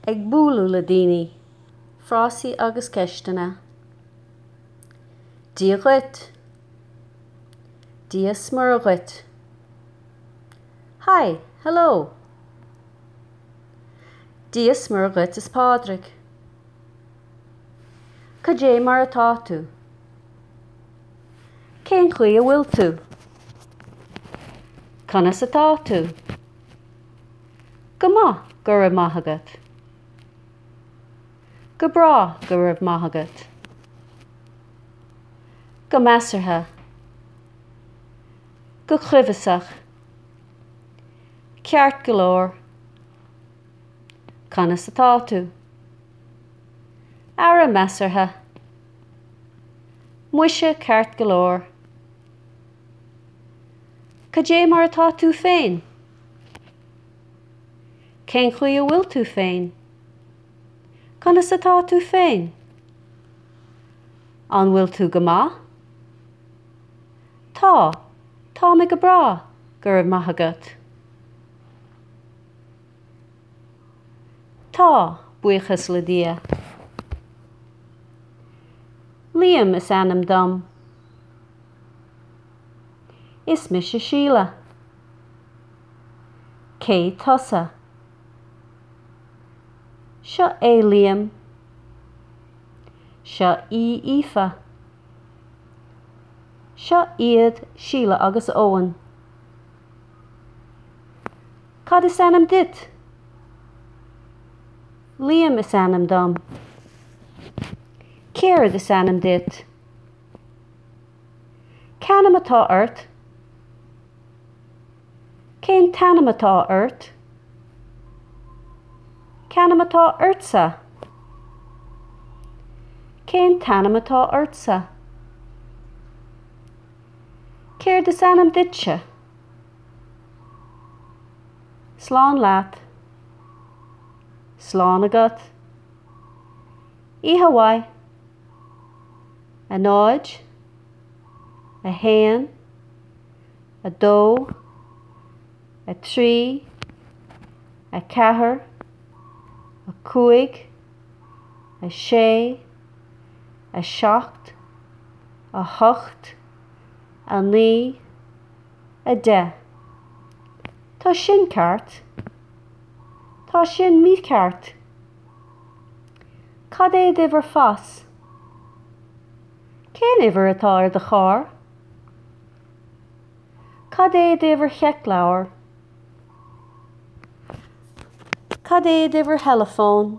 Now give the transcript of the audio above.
Ag bualadh le daoine, frásaí agus ceisteanna. Dia dhuit. Dia 's Muire dhuit. Hi, hello. Dia 's Muire dhuit is Pádraig. Cad é mar atá tú? Cén chaoi a bhfuil tú? Conas atá tú? Go maith, go raibh maith agat. Go breá, go raibh maith agat. Go measartha. Go cuibheasach. Ceart go leor. Conas atá tú? Ara measartha. Muise ceart go leor. Cad é mar atá tú féin? Cén chaoi a bhfuil tú féin? Conas atá tú féin? An bhfuil tú go maith? Tá, tá mé go breá, go raibh maith agat. Tá, buíochas le Dia. Liam is ainm dom. Is mise Síle. Cé tusa? Seo é Liam. Seo í Aoife. Seo iad Síle agus Eoin. Cad is ainm duit? Liam is ainm dom. Céard is ainm duit? C'ainm atá ort? Cén t-ainm atá ort? C'ainm atá ortsa? Cén t-ainm atá ortsa? Céard is ainm duitse? Slán leat. Slán agat. Oíche mhaith. 0, 1, 2, 3, 4, 5, 6, 7, 8, 9, 10. Tá sin ceart. Tá sin mícheart. Cad é d'uimhir phas? Cén uimhir atá ar do charr? Cad é d'uimhir sheicleabhair? Cad é d'uimhir theileafóin?